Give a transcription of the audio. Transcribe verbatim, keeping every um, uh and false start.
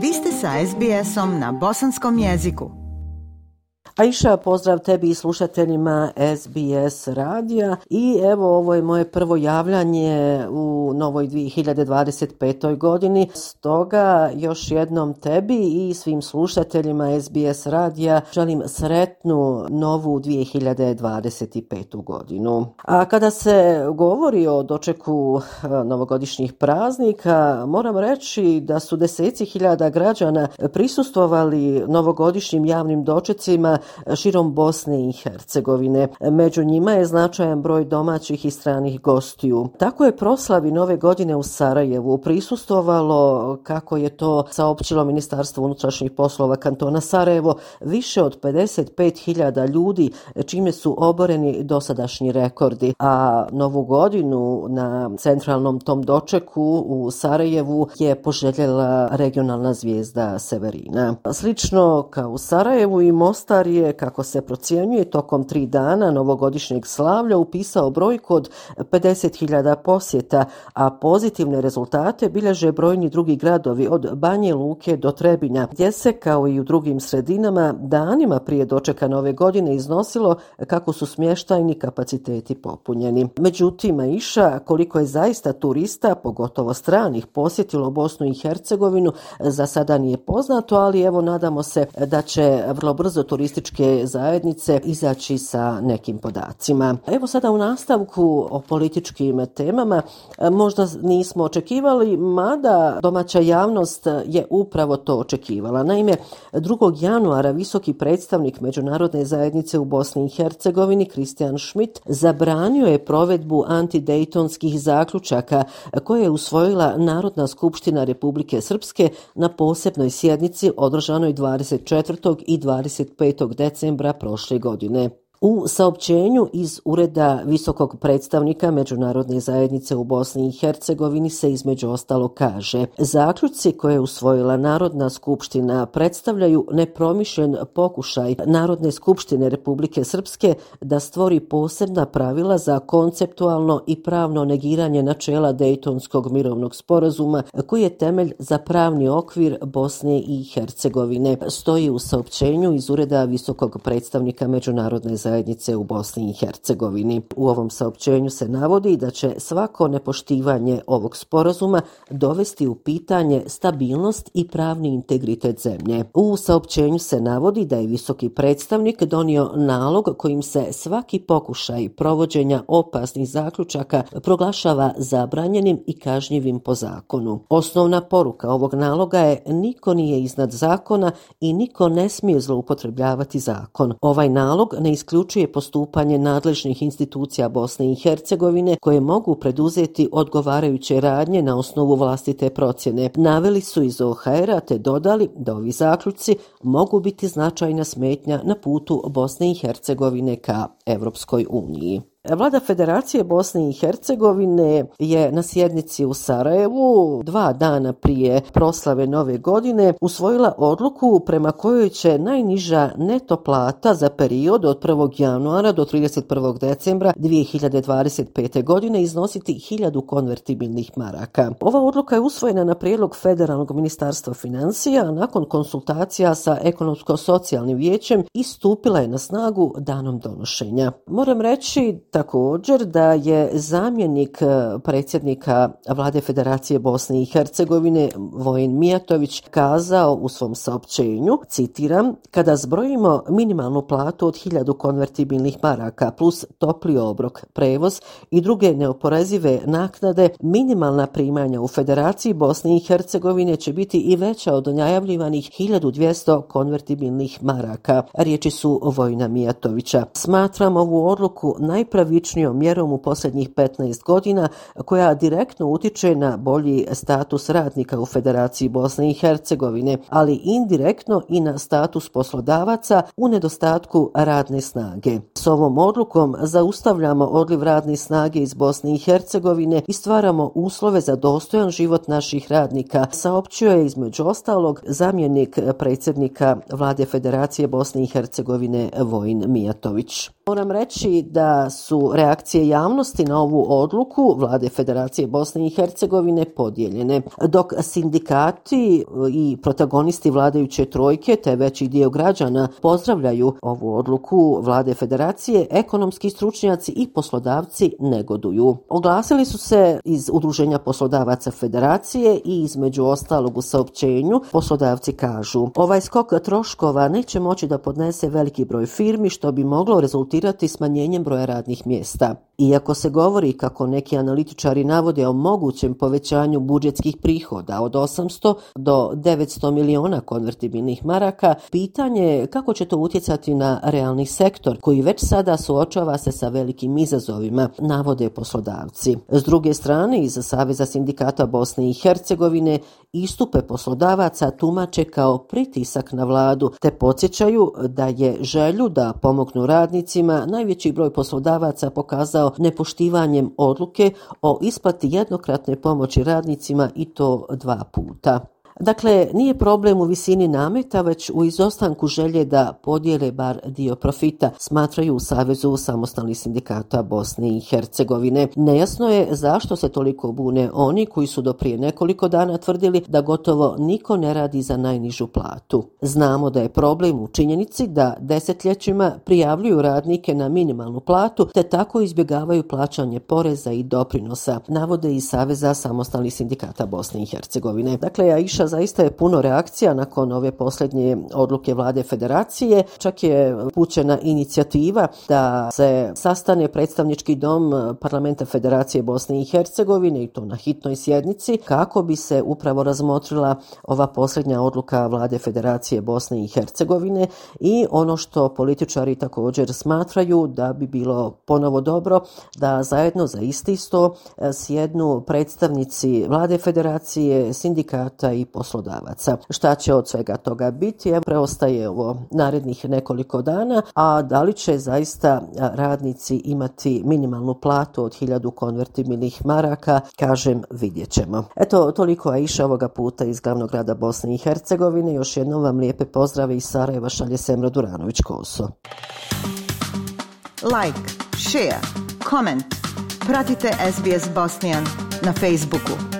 Vi ste sa es be esom na bosanskom jeziku. Aisha, pozdrav tebi i slušateljima es be es radija i evo ovo je moje prvo javljanje u novoj dvije hiljade dvadeset petoj godini, stoga još jednom tebi i svim slušateljima es be es radija želim sretnu novu dvije hiljade dvadeset petu godinu. A kada se govori o dočeku novogodišnjih praznika, moram reći da su deseci hiljada građana prisustvovali novogodišnjim javnim dočecima širom Bosne i Hercegovine. Među njima je značajan broj domaćih i stranih gostiju. Tako je proslavi nove godine u Sarajevu prisustvovalo, kako je to saopćilo Ministarstvo unutrašnjih poslova kantona Sarajevo, više od pedeset pet hiljada ljudi, čime su oboreni dosadašnji rekordi. A novu godinu na centralnom tom dočeku u Sarajevu je poželjela regionalna zvijezda Severina. Slično kao u Sarajevu i Mostar je, kako se procjenjuje, tokom tri dana novogodišnjeg slavlja upisao brojku od pedeset hiljada posjeta, a pozitivne rezultate bilježe brojni drugi gradovi od Banje Luke do Trebinja, gdje se, kao i u drugim sredinama, danima prije dočeka nove godine iznosilo kako su smještajni kapaciteti popunjeni. Međutim, Aisha, koliko je zaista turista, pogotovo stranih, posjetilo Bosnu i Hercegovinu, za sada nije poznato, ali evo nadamo se da će vrlo brzo turističke zajednice izaći sa nekim podacima. Evo sada u nastavku o političkim temama. Možda nismo očekivali, mada domaća javnost je upravo to očekivala. Naime, drugog januara visoki predstavnik međunarodne zajednice u Bosni i Hercegovini Christian Schmidt zabranio je provedbu antidejtonskih zaključaka koje je usvojila Narodna skupština Republike Srpske na posebnoj sjednici održanoj dvadeset četvrtog i dvadeset petog decembra prošle godine. U saopćenju iz Ureda visokog predstavnika Međunarodne zajednice u Bosni i Hercegovini se između ostalo kaže: zaključci koje je usvojila Narodna skupština predstavljaju nepromišljen pokušaj Narodne skupštine Republike Srpske da stvori posebna pravila za konceptualno i pravno negiranje načela Dejtonskog mirovnog sporazuma koji je temelj za pravni okvir Bosne i Hercegovine, stoji u saopćenju iz Ureda visokog predstavnika Međunarodne zajednice zajednice u Bosni i Hercegovini. U ovom saopćenju se navodi da će svako nepoštivanje ovog sporazuma dovesti u pitanje stabilnost i pravni integritet zemlje. U saopćenju se navodi da je visoki predstavnik donio nalog kojim se svaki pokušaj provođenja opasnih zaključaka proglašava zabranjenim i kažnjivim po zakonu. Osnovna poruka ovog naloga je: niko nije iznad zakona i niko ne smije zloupotrebljavati zakon. Ovaj nalog ne isključuje postupanje nadležnih institucija Bosne i Hercegovine koje mogu preduzeti odgovarajuće radnje na osnovu vlastite procjene. Naveli su iz o ha era te dodali da ovi zaključci mogu biti značajna smetnja na putu Bosne i Hercegovine ka Evropskoj uniji. Vlada Federacije Bosne i Hercegovine je na sjednici u Sarajevu dva dana prije proslave nove godine usvojila odluku prema kojoj će najniža neto plata za period od prvog januara do trideset prvog decembra dvije hiljade dvadeset pete. godine iznositi hiljadu konvertibilnih maraka. Ova odluka je usvojena na prijedlog Federalnog ministarstva financija, a nakon konsultacija sa ekonomsko-socijalnim vijećem i stupila je na snagu danom donošenja. Moram reći također da je zamjenik predsjednika Vlade Federacije Bosne i Hercegovine Vojin Mijatović kazao u svom saopćenju, citiram: kada zbrojimo minimalnu platu od hiljadu konvertibilnih maraka plus topli obrok, prevoz i druge neoporezive naknade, minimalna primanja u Federaciji Bosne i Hercegovine će biti i veća od najavljivanih hiljadu dvjesto konvertibilnih maraka. Riječi su Vojina Mijatovića. Smatram ovu odluku najpravičnijom mjerom u posljednjih petnaest godina koja direktno utiče na bolji status radnika u Federaciji Bosne i Hercegovine, ali indirektno i na status poslodavaca u nedostatku radne snage. S ovom odlukom zaustavljamo odliv radne snage iz Bosne i Hercegovine i stvaramo uslove za dostojan život naših radnika, saopćio je između ostalog zamjenik predsjednika Vlade Federacije Bosne i Hercegovine Vojin Mijatović. Moram reći da su reakcije javnosti na ovu odluku Vlade Federacije Bosne i Hercegovine podijeljene. Dok sindikati i protagonisti vladajuće trojke te veći dio građana pozdravljaju ovu odluku Vlade Federacije, ekonomski stručnjaci i poslodavci negoduju. Oglasili su se iz Udruženja poslodavaca Federacije i između ostalog u saopćenju poslodavci kažu: ovaj skok troškova neće moći da podnese veliki broj firmi, što bi moglo rezultirati smanjenjem broja radnih mjesta. Iako se govori, kako neki analitičari navode, o mogućem povećanju budžetskih prihoda od osamsto do devetsto miliona konvertibilnih maraka, pitanje je kako će to utjecati na realni sektor koji već sada suočava se sa velikim izazovima, navode poslodavci. S druge strane, iz Saveza sindikata Bosne i Hercegovine istupe poslodavaca tumače kao pritisak na vladu, te podsjećaju da je želju da pomognu radnicima najveći broj poslodavaca pokazao nepoštivanjem odluke o isplati jednokratne pomoći radnicima i to dva puta. Dakle, nije problem u visini nameta, već u izostanku želje da podijele bar dio profita, smatraju u Savezu samostalnih sindikata Bosne i Hercegovine. Nejasno je zašto se toliko bune oni koji su do prije nekoliko dana tvrdili da gotovo niko ne radi za najnižu platu. Znamo da je problem u činjenici da desetljećima prijavljuju radnike na minimalnu platu, te tako izbjegavaju plaćanje poreza i doprinosa, navode iz Saveza samostalnih sindikata Bosne i Hercegovine. Dakle, Aisha, zaista je puno reakcija nakon ove posljednje odluke Vlade Federacije. Čak je upućena inicijativa da se sastane predstavnički dom Parlamenta Federacije Bosne i Hercegovine i to na hitnoj sjednici kako bi se upravo razmotrila ova posljednja odluka Vlade Federacije Bosne i Hercegovine i ono što političari također smatraju da bi bilo ponovo dobro da zajedno za isti sto sjednu predstavnici Vlade Federacije, sindikata i poslodavaca. Šta će od svega toga biti? Evo, preostaje ovo narednih nekoliko dana, a da li će zaista radnici imati minimalnu platu od hiljadu konvertibilnih maraka, kažem, vidjet ćemo. Eto, toliko Aisha ovoga puta iz glavnog grada Bosne i Hercegovine. Još jednom vam lijepe pozdrave iz Sarajeva šalje Semra Duranović-Koso. Like, share, comment. Pratite S B S Bosnian na Facebooku.